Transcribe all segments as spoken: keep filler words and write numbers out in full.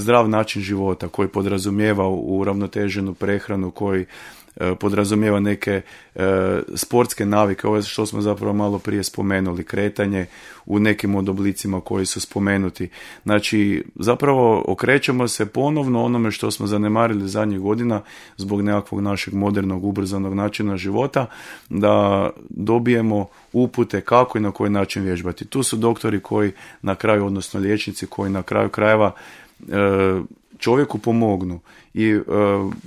zdrav način života koji podrazumijeva uravnoteženu prehranu, koji podrazumijeva neke e, sportske navike, ovo što smo zapravo malo prije spomenuli, kretanje u nekim od oblicima koji su spomenuti. Znači, zapravo okrećemo se ponovno onome što smo zanemarili zadnjih godina zbog nekakvog našeg modernog, ubrzanog načina života, da dobijemo upute kako i na koji način vježbati. Tu su doktori koji na kraju, odnosno liječnici koji na kraju krajeva e, čovjeku pomognu i e,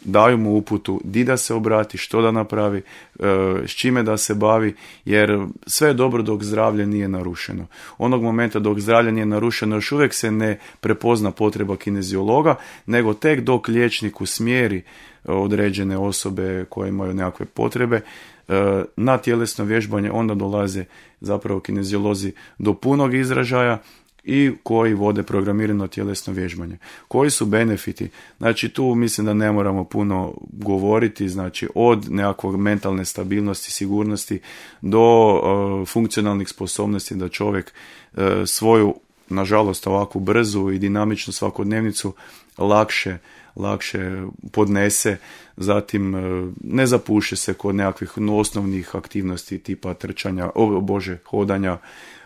daju mu uputu di da se obrati, što da napravi, e, s čime da se bavi, jer sve je dobro dok zdravlje nije narušeno. Onog momenta dok zdravlje nije narušeno još uvijek se ne prepozna potreba kineziologa, nego tek dok liječnik usmjeri određene osobe koje imaju nekakve potrebe e, na tjelesno vježbanje, onda dolaze zapravo kineziolozi do punog izražaja i koji vode programirano tjelesno vježbanje. Koji su benefiti? Znači tu mislim da ne moramo puno govoriti, znači od nekakvog mentalne stabilnosti, sigurnosti do uh, funkcionalnih sposobnosti da čovjek uh, svoju, nažalost ovakvu brzu i dinamičnu svakodnevnicu lakše lakše podnese, zatim ne zapuše se kod nekakvih osnovnih aktivnosti tipa trčanja, o bože, hodanja,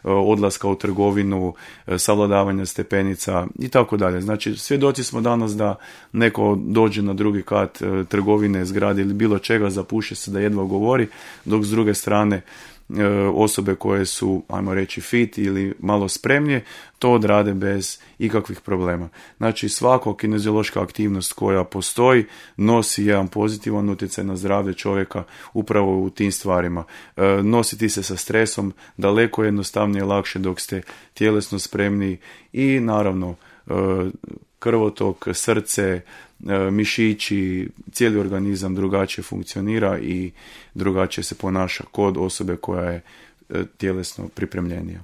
odlaska u trgovinu, savladavanja stepenica i tako dalje. Znači, svjedoci smo danas da neko dođe na drugi kat trgovine, zgrade ili bilo čega, zapuše se da jedva govori, dok s druge strane osobe koje su, ajmo reći, fit ili malo spremnije, to odrade bez ikakvih problema. Znači, svaka kineziološka aktivnost koja postoji nosi jedan pozitivan utjecaj na zdravlje čovjeka upravo u tim stvarima. E, nositi se sa stresom daleko jednostavnije i lakše dok ste tjelesno spremni i naravno e, krvotok, srce, mišići, cijeli organizam drugačije funkcionira i drugačije se ponaša kod osobe koja je tjelesno pripremljenija.